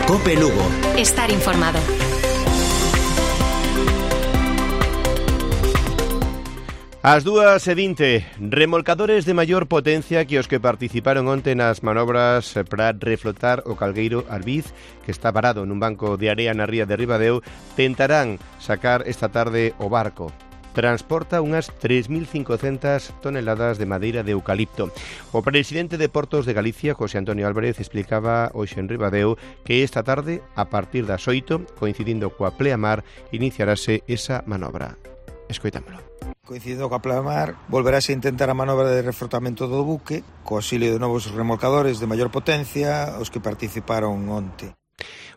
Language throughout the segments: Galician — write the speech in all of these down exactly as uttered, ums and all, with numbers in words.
COPE Lugo. Estar informado. Ás dúas e vinte, remolcadores de maior potencia que os que participaron onte nas manobras para reflotar o calgueiro Arbiz, que está parado nun banco de area na ría de Ribadeo, tentarán sacar esta tarde o barco. Transporta unhas tres mil cincocentas toneladas de madeira de eucalipto. O presidente de Portos de Galicia, José Antonio Álvarez, explicaba hoxe en Ribadeo que esta tarde, a partir das oito, coincidindo coa pleamar, iniciarase esa manobra. Escoitámolo. Coincidindo coa pleamar, volverase a intentar a manobra de refrotamento do buque, co auxilio de novos remolcadores de maior potencia, os que participaron onte.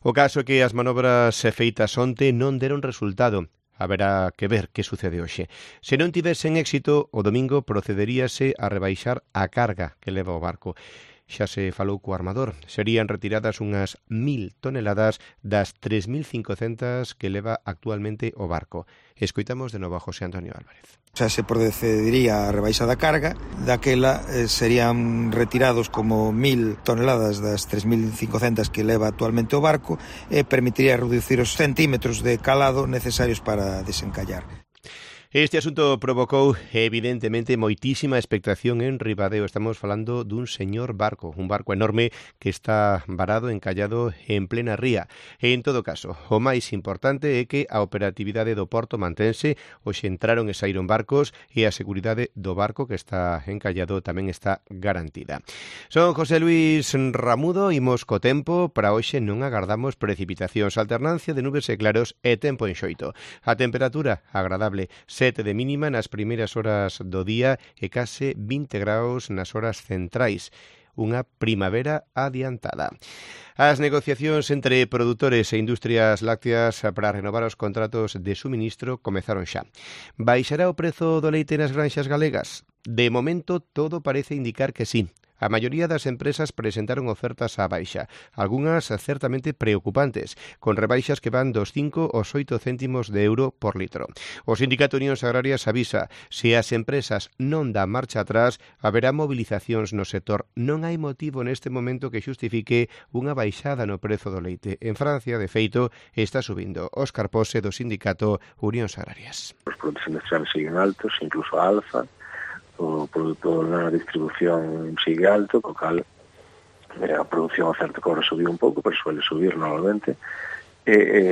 O caso é que as manobras feitas onte non deron resultado. Haberá que ver que sucede hoxe. Se non tivesen éxito, o domingo procederíase a rebaixar a carga que leva o barco. Xa se falou co armador. Serían retiradas unhas mil toneladas das tres mil cincocentas que leva actualmente o barco. Escoitamos de novo a José Antonio Álvarez. Xa se procedería a rebaixa da carga, daquela eh, serían retirados como mil toneladas das tres mil cincocentas que leva actualmente o barco e permitiría reducir os centímetros de calado necesarios para desencallar. Este asunto provocou, evidentemente, moitísima expectación en Ribadeo. Estamos falando dun señor barco, un barco enorme que está varado, encallado en plena ría. En todo caso, o máis importante é que a operatividade do porto mantense, hoxe entraron e saíron barcos e a seguridade do barco que está encallado tamén está garantida. Son José Luis Ramudo, imos co tempo. Para hoxe non agardamos precipitacións, alternancia de nubes e claros e tempo enxoito. A temperatura agradable, sete de mínima nas primeiras horas do día e case vinte graus nas horas centrais. Unha primavera adiantada. As negociacións entre produtores e industrias lácteas para renovar os contratos de suministro comezaron xa. Baixará o prezo do leite nas granxas galegas? De momento, todo parece indicar que sí. A maioría das empresas presentaron ofertas á baixa, algunhas certamente preocupantes, con rebaixas que van dos cinco aos oito céntimos de euro por litro. O Sindicato Unións Agrarias avisa, se as empresas non dan marcha atrás, haberá movilizacións no sector. Non hai motivo neste momento que xustifique unha baixada no prezo do leite. En Francia, de feito, está subindo. Óscar Pose, do Sindicato Unións Agrarias. Os produtos industriales siguen altos, incluso a alza. O produto na distribución sigue alto, co cal eh, a produción a certa cobra subiu un pouco, pero suele subir normalmente, e, e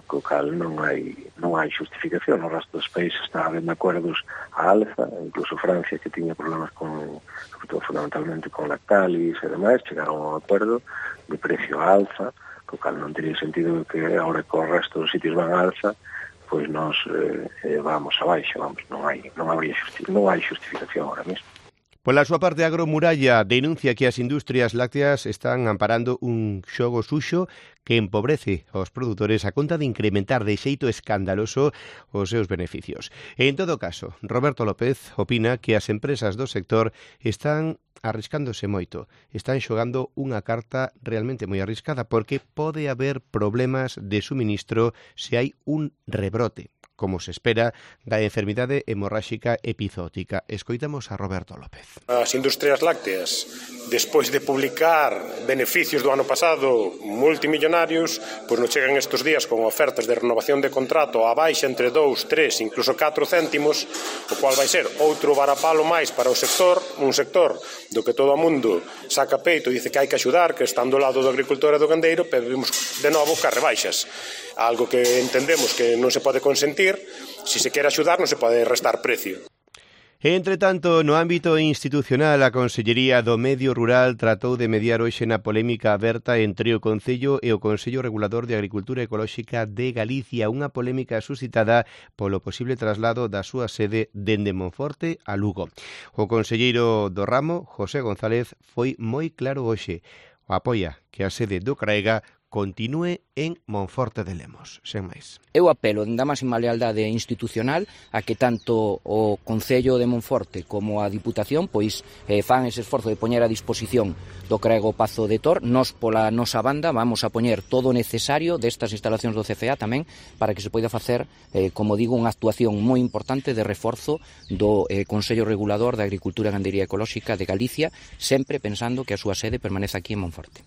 co cal non hai non hai justificación. No resto dos países está habendo acordos a alza, incluso Francia, que tiña problemas con, sobre todo fundamentalmente con Lactalis e demais, chegaron a un acordo de precio a alza, co cal non teria sentido que agora que o resto dos sitios van a alza, pois nós eh, vamos abaixo, vamos, non hai non hai justi non hai justificación ahora mesmo. Pola súa parte, Agromuralla denuncia que as industrias lácteas están amparando un xogo suxo que empobrece aos produtores a conta de incrementar de xeito escandaloso os seus beneficios. En todo caso, Roberto López opina que as empresas do sector están arriscándose moito, están xogando unha carta realmente moi arriscada porque pode haber problemas de suministro se hai un rebrote, como se espera, da enfermidade hemorráxica epizótica. Escoitamos a Roberto López. As industrias lácteas, despois de publicar beneficios do ano pasado multimillonarios, pois nos chegan estes días con ofertas de renovación de contrato a baixa entre dous, tres, incluso catro céntimos, o cual vai ser outro varapalo máis para o sector, un sector do que todo o mundo saca peito e dice que hai que axudar, que están do lado do agricultor e do gandeiro, pero vimos de novo que as rebaixas. Algo que entendemos que non se pode consentir, se se quere axudar non se pode restar precio. Entre tanto, no ámbito institucional, a Consellería do Medio Rural tratou de mediar hoxe na polémica aberta entre o Concello e o Consello Regulador de Agricultura Ecolóxica de Galicia, unha polémica suscitada polo posible traslado da súa sede dende Monforte a Lugo. O conselleiro do ramo, José González, foi moi claro hoxe. Apoia que a sede do CRAEGA continúe en Monforte de Lemos, sen máis. Eu apelo da máxima lealdade institucional a que tanto o Concello de Monforte como a Diputación pois eh, fan ese esforzo de poñer a disposición do Crego Pazo de Tor. Nos pola nosa banda vamos a poñer todo o necesario destas instalacións do C F A tamén para que se poida facer, eh, como digo, unha actuación moi importante de reforzo do eh, Consello Regulador de Agricultura e Gandería Ecolóxica de Galicia, sempre pensando que a súa sede permanece aquí en Monforte.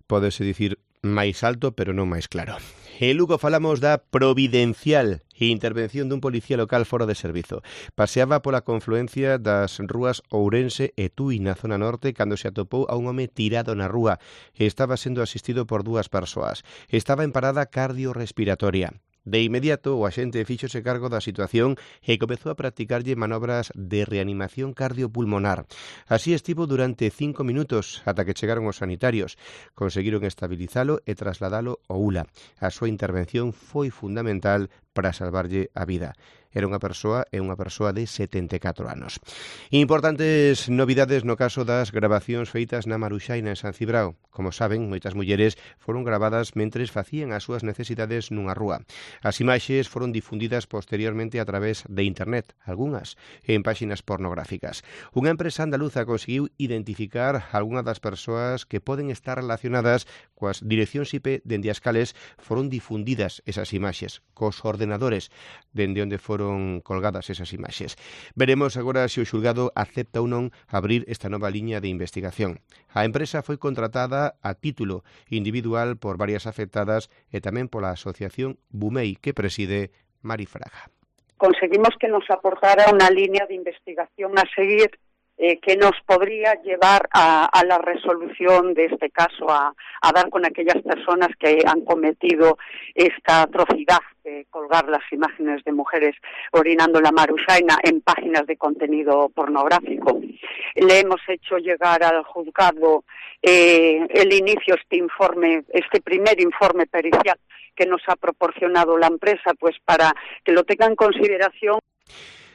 Pódese dicir máis alto, pero non máis claro. En Lugo falamos da providencial intervención dun policía local fora de servizo. Paseaba pola confluencia das rúas Ourense e Tui na zona norte cando se atopou a un home tirado na rúa. Estaba sendo asistido por dúas persoas. Estaba en parada cardiorrespiratoria. De inmediato, o axente fíxose cargo da situación e comezou a practicarlle manobras de reanimación cardiopulmonar. Así estivo durante cinco minutos ata que chegaron os sanitarios. Conseguiron estabilizalo e trasladalo ao U L A. A súa intervención foi fundamental para salvarlle a vida. Era unha persoa e unha persoa de setenta e catro anos. Importantes novidades no caso das grabacións feitas na Maruxaina en San Cibrao. Como saben, moitas mulleres foron gravadas mentres facían as súas necesidades nunha rúa. As imaxes foron difundidas posteriormente a través de internet, algunhas en páxinas pornográficas. Unha empresa andaluza conseguiu identificar algunhas das persoas que poden estar relacionadas coas direccións I P dende as cales foron difundidas esas imaxes, cos ordenadores dende onde foron colgadas esas imaxes. Veremos agora se o xulgado acepta ou non abrir esta nova liña de investigación. A empresa foi contratada a título individual por varias afectadas e tamén pola asociación Bumei, que preside Mari Fraga. Conseguimos que nos aportara una línea de investigación a seguir eh, que nos podría llevar a, a la resolución de este caso, a, a dar con aquellas personas que han cometido esta atrocidad de colgar las imágenes de mujeres orinando la Maruxaina en páginas de contenido pornográfico. Le hemos hecho llegar al juzgado eh, el inicio, este informe, este primer informe pericial que nos ha proporcionado la empresa, pues para que lo tenga en consideración.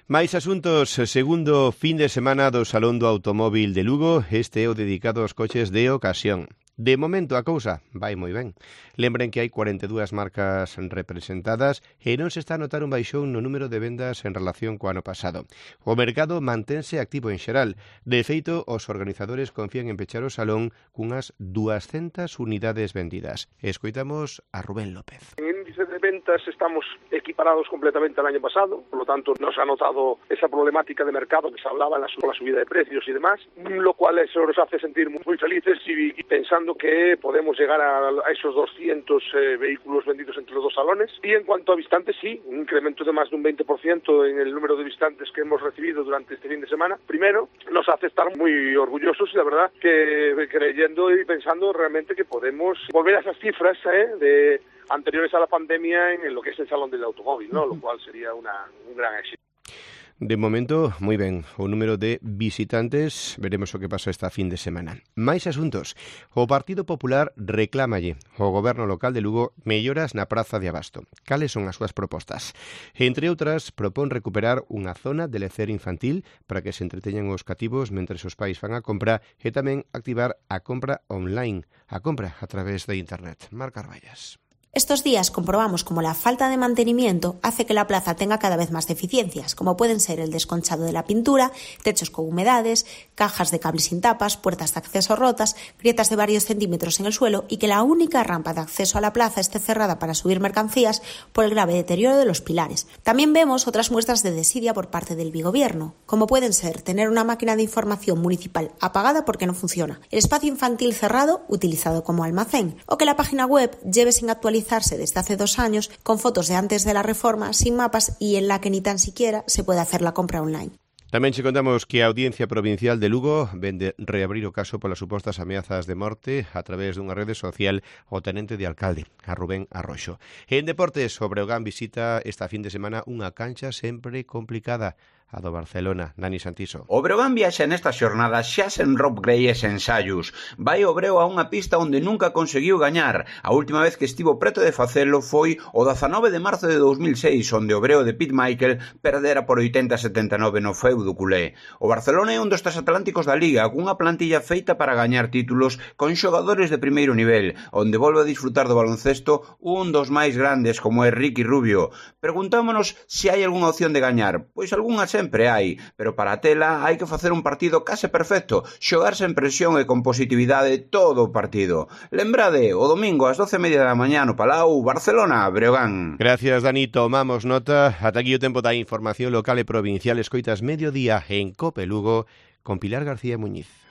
Máis asuntos, segundo fin de semana do Salón do Automóvil de Lugo, este é o dedicado aos coches de ocasión. De momento a cousa vai moi ben. Lembren que hai cuarenta e dúas marcas representadas e non se está a notar un baixón no número de vendas en relación co ano pasado. O mercado mantense activo en xeral. De feito, os organizadores confían en pechar o salón cunhas duascentas unidades vendidas. Escoitamos a Rubén López. En índice de ventas estamos equiparados completamente al año pasado, por lo tanto no se ha notado esa problemática de mercado que se hablaba en la, la subida de precios y demás, lo cual eso nos hace sentir muy, muy felices y, y pensando que podemos llegar a, a esos doscientos eh, vehículos vendidos entre los dos salones. Y en cuanto a visitantes, sí, un incremento de más de un veinte por ciento en el número de visitantes que hemos recibido durante este fin de semana. Primero, nos hace estar muy orgullosos y la verdad que creyendo y pensando realmente que podemos volver a esas cifras eh, de anteriores a la pandemia en lo que es el Salón del Automóvil, ¿no? Lo cual sería una, un gran éxito. De momento, moi ben, o número de visitantes, veremos o que pasa esta fin de semana. Máis asuntos. O Partido Popular reclámalle ao goberno local de Lugo melloras na Praza de Abasto. Cales son as súas propostas? Entre outras, propón recuperar unha zona de lecer infantil para que se entreteñan os cativos mentres os pais fan a compra e tamén activar a compra online, a compra a través de internet. Marc Carballas. Estos días comprobamos cómo la falta de mantenimiento hace que la plaza tenga cada vez más deficiencias, como pueden ser el desconchado de la pintura, techos con humedades, cajas de cables sin tapas, puertas de acceso rotas, grietas de varios centímetros en el suelo y que la única rampa de acceso a la plaza esté cerrada para subir mercancías por el grave deterioro de los pilares. También vemos otras muestras de desidia por parte del bigobierno, como pueden ser tener una máquina de información municipal apagada porque no funciona, el espacio infantil cerrado utilizado como almacén o que la página web lleve sin actualizar desde hace dos años con fotos de antes de la reforma, sin mapas y en la que ni tan siquiera se puede hacer la compra online. Tamén che contamos que a Audiencia Provincial de Lugo vende reabrir o caso polas supostas ameazas de morte a través dunha rede social ao tenente de alcalde, a Rubén Arroxo. En deportes, o Breogán visita esta fin de semana unha cancha sempre complicada, a do Barcelona. Nani Santiso. O Breogán viaxa nesta xornada xa sen Rob Gray e sen ensaios. Vai o Breo a unha pista onde nunca conseguiu gañar. A última vez que estivo preto de facelo foi o dezanove de marzo de dous mil seis, onde o Breo de Pete Michael perdera por oitenta a setenta e nove no feudo culé. O Barcelona é un dos transatlánticos da Liga, cunha plantilla feita para gañar títulos con xogadores de primeiro nivel, onde volve a disfrutar do baloncesto un dos máis grandes como é Ricky Rubio. Preguntámonos se hai algunha opción de gañar. Pois algunha sempre hai, pero para a tela hai que facer un partido case perfecto, xogar sen presión e con positividade todo o partido. Lembrade, o domingo ás doce e media da mañá no Palau, Barcelona, Breogán. Gracias, Dani, tomamos nota. Ata aquí o tempo da información local e provincial. Escoitas mediodía en Cope Lugo con Pilar García Muñiz.